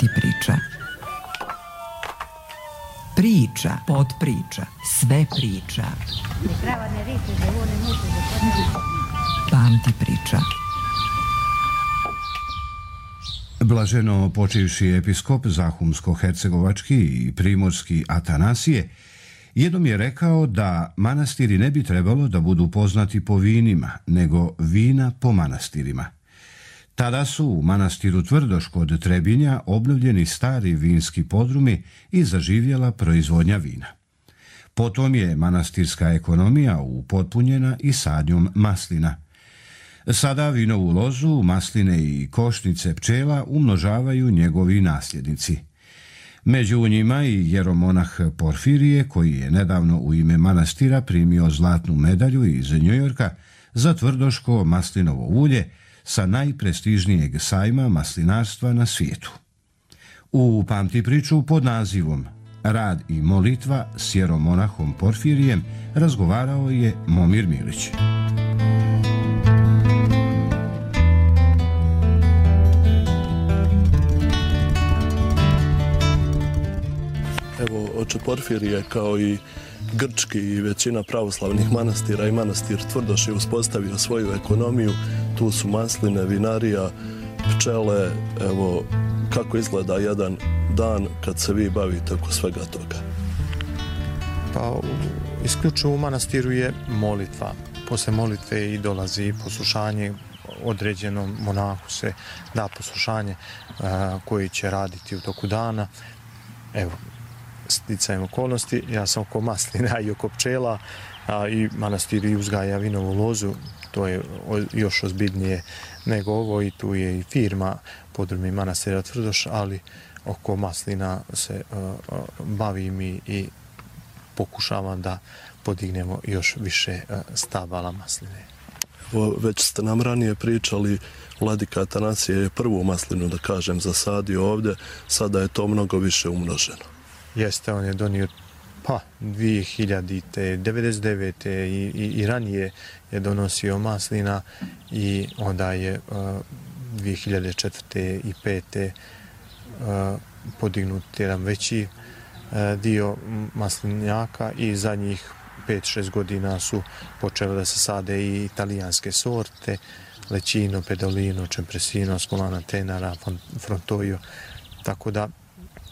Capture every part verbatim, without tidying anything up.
Pamti priča. Priča, podpriča, sve priča. Pamti priča. Blaženo počivši episkop Zahumsko-hercegovački i primorski Atanasije jednom je rekao da manastiri ne bi trebalo da budu poznati po vinima, nego vina po manastirima. Tada su u manastiru Tvrdoš kod Trebinja obnovljeni stari vinski podrumi i zaživjela proizvodnja vina. Potom je manastirska ekonomija upotpunjena i sadnjom maslina. Sada vinovu lozu, masline i košnice pčela umnožavaju njegovi nasljednici. Među njima i jeromonah Porfirije, koji je nedavno u ime manastira primio zlatnu medalju iz Njujorka za tvrdoško maslinovo ulje sa najprestižnijeg sajma maslinarstva na svijetu. U Pamti priču pod nazivom Rad i molitva s jeromonahom Porfirijem razgovarao je Momir Milić. Evo, oče Porfirije, kao i grčki i većina pravoslavnih manastira i manastir Tvrdoš je uspostavio svoju ekonomiju. Tu su masline, vinarija, pčele. Evo, kako izgleda jedan dan kad se vi bavite oko svega toga? Pa, isključivo u manastiru je molitva. Posle molitve i dolazi poslušanje, određenom monahu se da poslušanje koji će raditi u toku dana. Evo, sticajem okolnosti, ja sam oko maslina i oko pčela, a i manastir i uzgaja vinovu lozu, to je još ozbiljnije nego ovo, i tu je i firma podrumi manastira Tvrdoš, ali oko maslina se uh, bavim i, i pokušavam da podignemo još više uh, stabala masline. Evo, već ste nam ranije pričali, vladika Atanasije je prvu maslinu, da kažem, zasadio ovdje, sada je to mnogo više umnoženo. Jeste, on je donio pa dvije hiljadite, devedeset devete i, i, i ranije je donosio maslina, i onda je uh, dvije hiljade četvrte i pete uh, podignut jedan veći uh, dio maslinjaka, i zadnjih pet šest godina su počele da se sade i italijanske sorte, Lecino, Pedolino, Čempresino, Scolana Tenara, Frontoio, tako da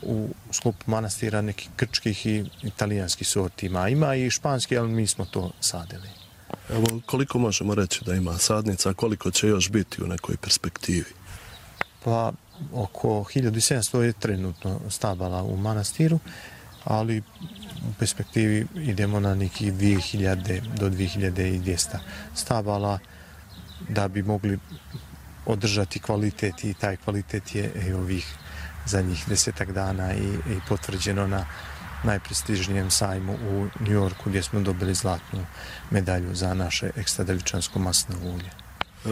u sklopu manastira nekih grčkih i italijanskih sorti ima. Ima i španski, ali mi smo to sadili. Evo, koliko možemo reći da ima sadnica, koliko će još biti u nekoj perspektivi? Pa, oko hiljadu sedamsto je trenutno stabala u manastiru, ali u perspektivi idemo na nekih dvije hiljade do dvije hiljade dvjesto stabala, da bi mogli održati kvalitet, i taj kvalitet je i ovih zadnjih desetak dana i, i potvrđeno na najprestižnijem sajmu u Njujorku, gdje smo dobili zlatnu medalju za naše ekstra devičansko maslinovo ulje.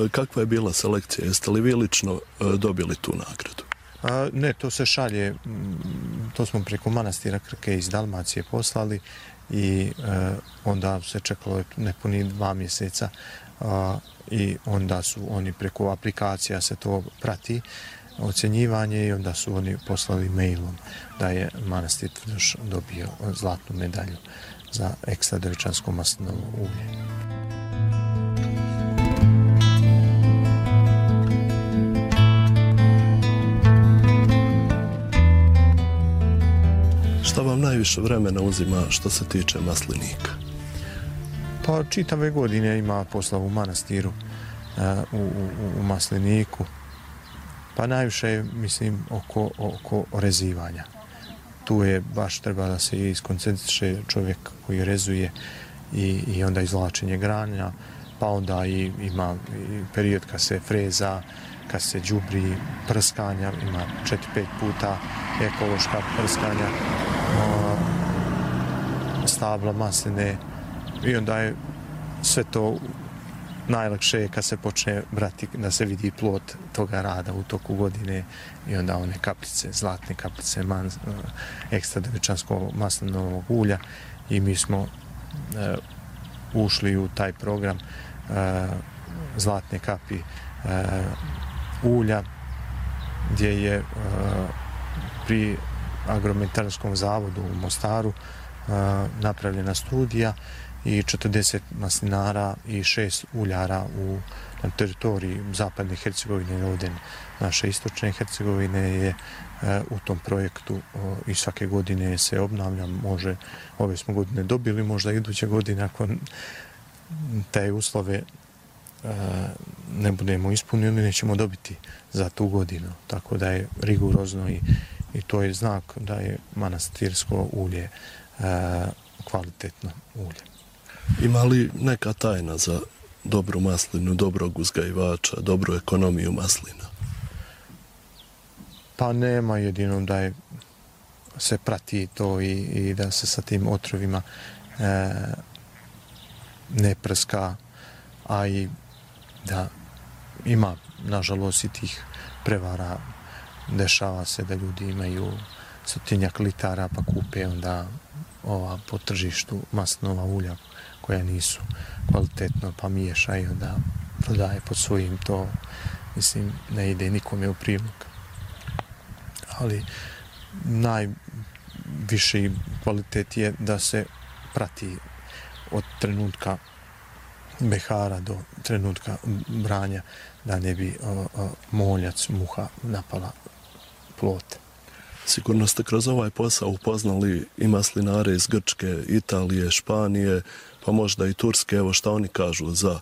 Kakva je bila selekcija? Jeste li vi lično dobili tu nagradu? A, ne, to se šalje, to smo preko manastira Krke iz Dalmacije poslali, i e, onda se čekalo nepuni dva mjeseca, a, i onda su oni preko aplikacija se to prati, ocjenjivanje, i onda su oni poslali mailom da je manastir Tvrdoš dobio zlatnu medalju za ekstra devičansko maslinovo ulje. Šta vam najviše vremena uzima što se tiče maslinika? Pa, čitave godine ima posla u manastiru, u, u, u masliniku. Pa najviše je, mislim, oko, oko rezivanja. Tu je baš treba da se iskoncentriše čovjek koji rezuje, i, i onda izvlačenje granja, pa onda i, ima i period kad se freza, kad se đubri, prskanja, ima četiri pet puta ekološka prskanja, stabla masline, i onda je sve to najlakše je kad se počne brati, da se vidi plod toga rada u toku godine, i onda one kapljice, zlatne kapljice man, ekstra devičanskog maslinovog ulja, i mi smo e, ušli u taj program e, zlatne kapi e, ulja, gdje je e, pri Agrometarskom zavodu u Mostaru napravljena studija i četrdeset maslinara i šest uljara u, na teritoriji zapadne Hercegovine i ovdje naše istočne Hercegovine je u tom projektu i svake godine se obnavlja. Može, ove smo godine dobili, možda iduće godine ako te uslove ne budemo ispunili, nećemo dobiti za tu godinu. Tako da je rigorozno i, i to je znak da je manastirsko ulje kvalitetno ulje. Ima li neka tajna za dobru maslinu, dobrog uzgajivača, dobru ekonomiju maslina? Pa nema, jedino da je, se prati to i, i da se sa tim otrovima e, ne prska, a i da ima, nažalost, i tih prevara. Dešava se da ljudi imaju stotinjak litara pa kupe onda ova po tržištu maslinova ulja koja nisu kvalitetno pa miješa i onda prodaje pod svojim, to mislim ne ide nikome u prilog. Ali najviši kvalitet je da se prati od trenutka behara do trenutka branja, da ne bi o, o, moljac, muha napala plod. Sigurno ste kroz ovaj posao upoznali i maslinare iz Grčke, Italije, Španije, pa možda i Turske. Evo šta oni kažu za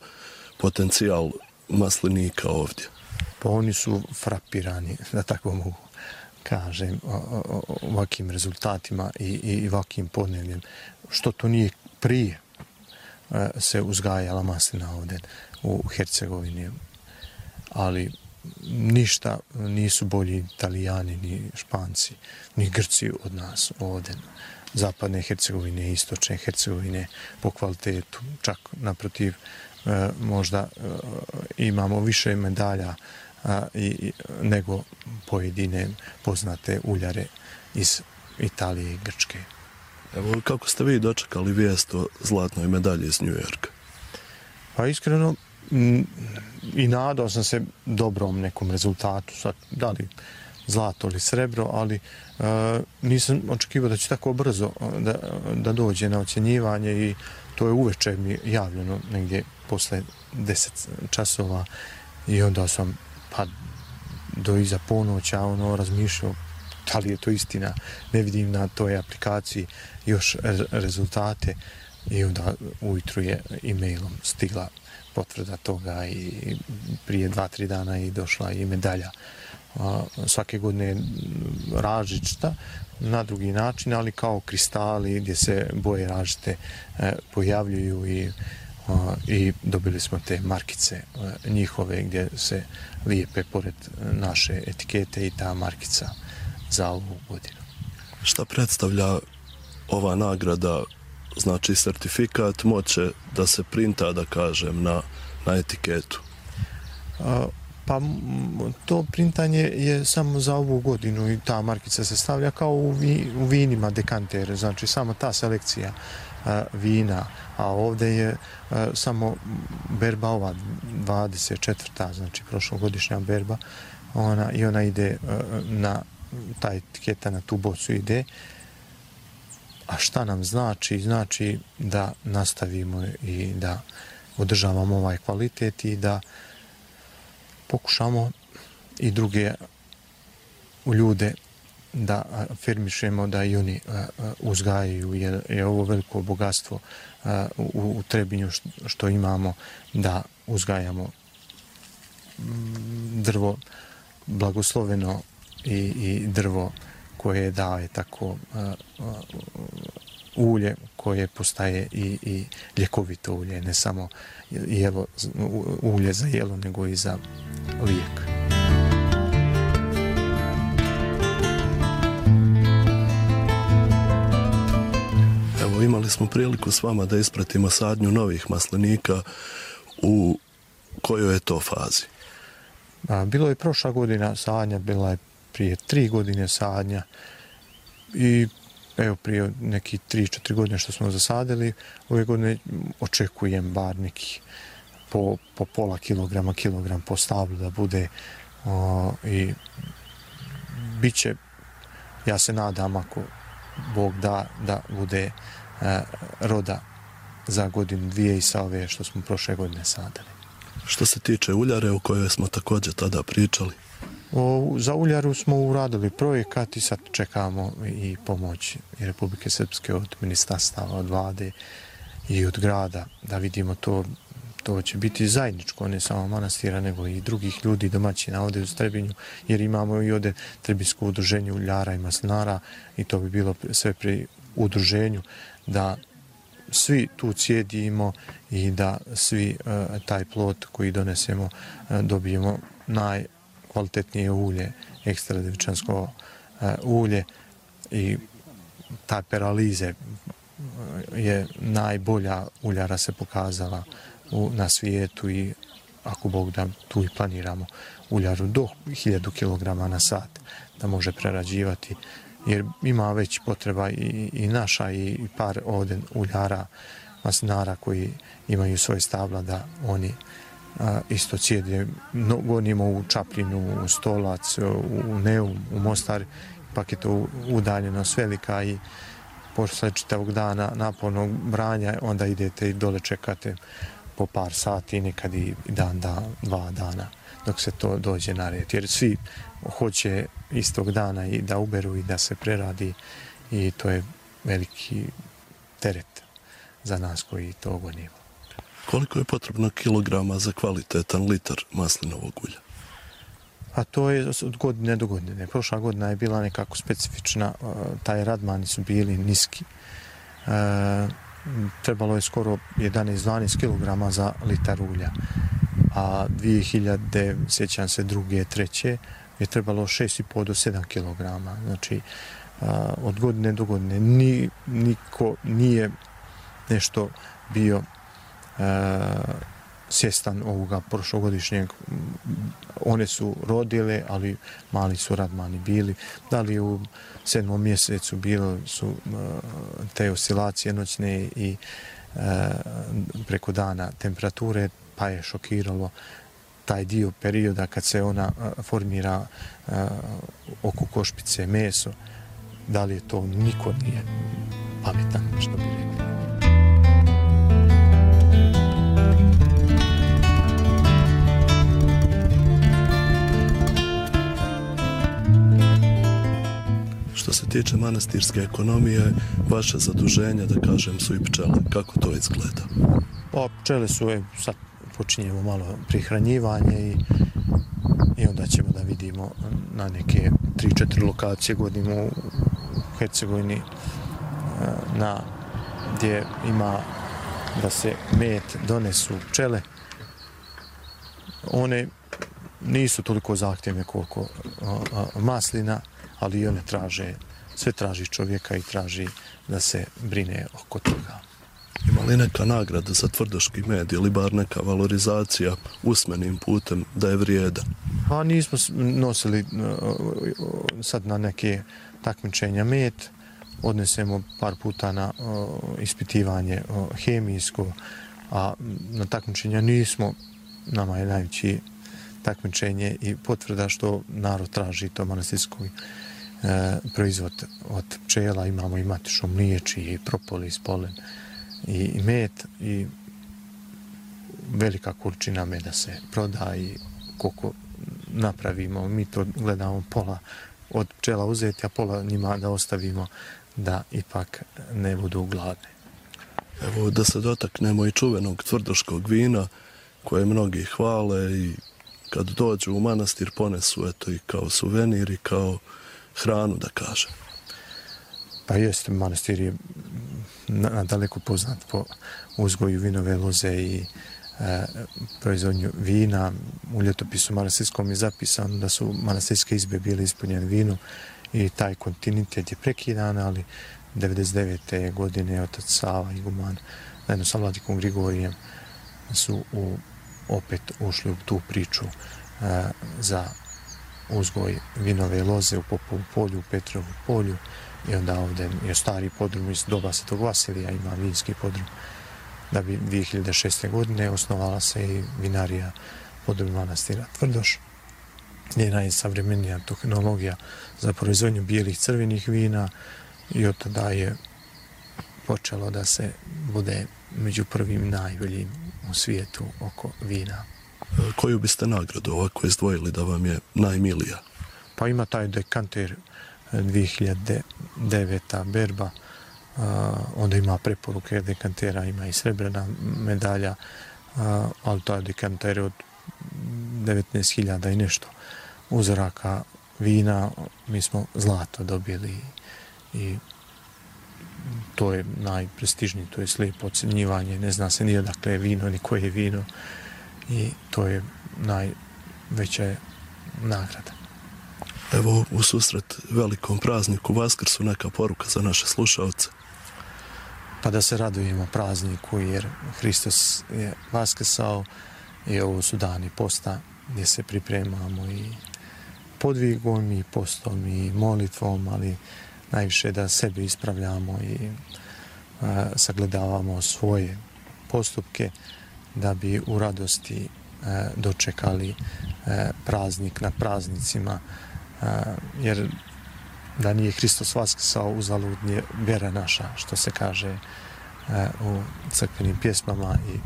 potencijal maslinika ovdje. Pa oni su frapirani, da tako mogu kažem, ovakvim rezultatima i, i ovakvim podnebljem. Što to nije prije se uzgajala maslina ovdje u Hercegovini, ali ništa nisu bolji Italijani, ni Španci, ni Grci od nas ovdje. Zapadne Hercegovine, istočne Hercegovine po kvalitetu. Čak naprotiv, možda imamo više medalja nego pojedine poznate uljare iz Italije i Grčke. Evo, kako ste vi dočekali vijest o zlatnoj medalji iz New Yorka? Pa iskreno, i nadao sam se dobrom nekom rezultatu, sad, da li zlato ili srebro, ali uh, nisam očekivao da će tako brzo da, da dođe na ocjenjivanje i to je uveče mi javljeno negdje posle deset časova i onda sam pa do iza ponoća ono razmišljao da li je to istina, ne vidim na toj aplikaciji još rezultate i onda ujutru je e-mailom stigla potvrda toga i prije dva, tri dana i došla i medalja. Svake godine je različita na drugi način, ali kao kristali gdje se boje različite pojavljuju i, i dobili smo te markice njihove gdje se lijepe pored naše etikete i ta markica za ovu godinu. Šta predstavlja ova nagrada? Znači certifikat moće da se printa, da kažem, na, na etiketu? A, pa to printanje je samo za ovu godinu i ta markica se stavlja kao u, vi, u vinima dekantere, znači samo ta selekcija a, vina, a ovdje je a, samo berba ova dvadeset četvrta, znači prošlogodišnja berba, ona, i ona ide a, na, ta etiketa na tu bocu ide. A šta nam znači? Znači da nastavimo i da održavamo ovaj kvalitet i da pokušamo i druge ljude da afirmišemo da i oni uzgajaju, jer je ovo veliko bogatstvo u Trebinju što imamo, da uzgajamo drvo blagosloveno i, i drvo koje daje tako uh, uh, ulje koje postaje i, i ljekovito ulje, ne samo jelo, ulje za jelo, nego i za lijek. Evo, imali smo priliku s vama da ispratimo sadnju novih maslinika. U kojoj je to fazi? A, bilo je prošla godina sadnja, bila je prije tri godine sadnja i evo prije neki tri, četiri godine što smo zasadili, ove godine očekujem bar neki po, po pola kilograma, kilogram po stablu da bude o, i bit će ja se nadam ako Bog da, da bude e, roda za godinu dvije i sa ove što smo prošle godine sadali. Što se tiče uljare o kojoj smo također tada pričali? O, za uljaru smo uradili projekat i sad čekamo i pomoć i Republike Srpske od ministarstava, od vlade i od grada da vidimo to. To će biti zajedničko, ne samo manastira, nego i drugih ljudi, domaćina ovdje u Trebinju, jer imamo i ovdje Trebinjsko udruženje uljara i maslinara i to bi bilo sve pri udruženju da svi tu cijedimo i da svi uh, taj plod koji donesemo uh, dobijemo najkvalitetnije ulje, ekstra devičansko uh, ulje i ta peralize je najbolja uljara se pokazala u, na svijetu i ako Bog da tu i planiramo uljaru do hiljadu kilograma na sat da može prerađivati jer ima već potreba i, i naša i par ovdje uljara, maslinara koji imaju svoje stabla da oni a, isto cijede. No, gonimo u Čapljinu, u Stolac, u Neum, u Mostar, pak je to udaljenost velika i posle čitavog dana napornog branja onda idete i dole čekate po par sati, nekad i dan, dan, dva dana dok se to dođe na red. Jer svi hoće istog dana i da uberu i da se preradi i to je veliki teret za nas koji to gonimo. Koliko je potrebno kilograma za kvalitetan litar maslinovog ulja? A to je od godine do godine. Prošla godina je bila nekako specifična, taj radmani su bili niski. E, trebalo je skoro jedanaest do dvanaest kilograma za litar ulja. A dvije hiljade, sjećam se, druge, treće, je trebalo šest i po do sedam kilograma. Znači, a, od godine do godine ni, niko nije nešto bio a, svjestan ovoga prošlogodišnjeg. One su rodile, ali mali su radmani bili. Da li u sedmom mjesecu bilo su uh, te oscilacije noćne i uh, preko dana temperature, pa je šokiralo taj dio perioda kad se ona uh, formira uh, oko košpice meso. Da li je to, niko nije pametan, što bi rekli. Što se tiče manastirske ekonomije, vaše zaduženja, da kažem, su i pčele. Kako to izgleda? Pa, pčele su, je, sad počinjemo malo prihranjivanje i, i onda ćemo da vidimo na neke tri četiri lokacije godimo u Hercegovini na, gdje ima da se med donesu pčele. One nisu toliko zahtjevne koliko a, a, maslina, ali i one traže, sve traži čovjeka i traži da se brine oko toga. Ima li neka nagrada za tvrdoški med ili bar neka valorizacija usmenim putem da je vrijedan? A nismo nosili sad na neke takmičenja med, odnesemo par puta na ispitivanje hemijsko, a na takmičenja nismo, nama je najveći takmičenje i potvrda što narod traži to manastirski e, proizvod od pčela. Imamo i matično mliječ i propolis, polen i, i med i velika količina meda se proda i koliko napravimo. Mi to gledamo pola od pčela uzeti, a pola njima da ostavimo da ipak ne budu gladne. Evo da se dotaknemo i čuvenog tvrdoškog vina koje mnogi hvale i kad dođu u manastir ponesu eto i kao suvenir i kao hranu, da kažem. Pa jeste, manastir je nadaleko poznat po uzgoju vinove loze i e, proizvodnju vina. U ljetopisu manastirskom je zapisano da su manastirske izbe bile ispunjene vinom i taj kontinuitet je prekidan, ali devedeset devete godine otac Sava iguman zajedno sa vladikom Grigorijem su u opet ušli u tu priču e, za uzgoj vinove loze u Popovu polju, u Petrovu polju i onda ovdje je stari podrum iz doba Svetog Vasilija, ima vinski podrum. Da bi dvije hiljade šeste. godine osnovala se i vinarija podrum manastira Tvrdoš je najsavremenija tehnologija za proizvodnju bijelih crvenih vina i od tada je počelo da se bude među prvim najboljim u svijetu oko vina. Koju biste nagradu ovako izdvojili da vam je najmilija? Pa ima taj dekanter dvije hiljade deveta berba, uh, onda ima preporuke dekantera, ima i srebrna medalja, uh, ali taj dekanter od devetnaest hiljada i nešto uzoraka vina, mi smo zlato dobili i to je najprestižniji, to je slijepo ocjenjivanje, ne zna se ni odakle je vino, ni koje je vino i to je najveća nagrada. Evo, u susret velikom prazniku Vaskrsu, neka poruka za naše slušalce? Pa da se radujemo prazniku jer Hristos je vaskrsao i ovo su dani posta gdje se pripremamo i podvigom i postom i molitvom, ali najviše da sebe ispravljamo i a, sagledavamo svoje postupke da bi u radosti a, dočekali a, praznik nad praznicima, a, jer da nije Hristos vaskrsao uzalud je vjera naša, što se kaže a, u crkvenim pjesmama i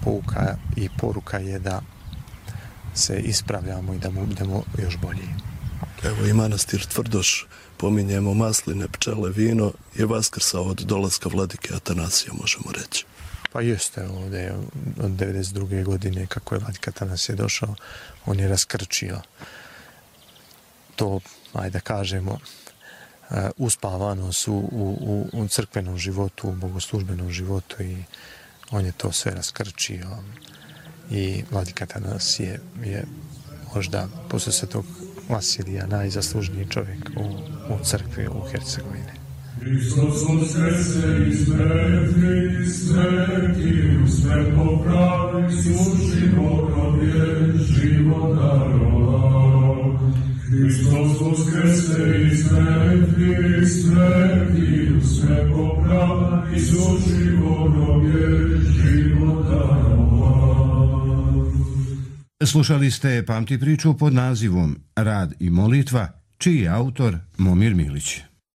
pouka i poruka je da se ispravljamo i da mu budemo još bolji. Evo i manastir Tvrdoš, pominjemo masline, pčele, vino, je vaskrsao od dolaska vladike Atanasija, možemo reći. Pa jeste, ovdje od devedeset druge godine kako je vladika Atanasije došao, on je raskrčio to, ajde da kažemo, uspavanost u, u, u crkvenom životu, u bogoslužbenom životu i on je to sve raskrčio i vladika Atanasije je možda posle Svetog Vasilija najzaslužniji čovjek u, u crkvi u Hercegovini. Hristos uskrese iz mrtvih, smrti sve popravi, suši Bogovje život darovao. Hristos uskrese iz mrtvih, smrti sve popravi, suši Bogovje život darovao. Slušali ste Pamti priču pod nazivom Rad i molitva, čiji je autor Momir Milić.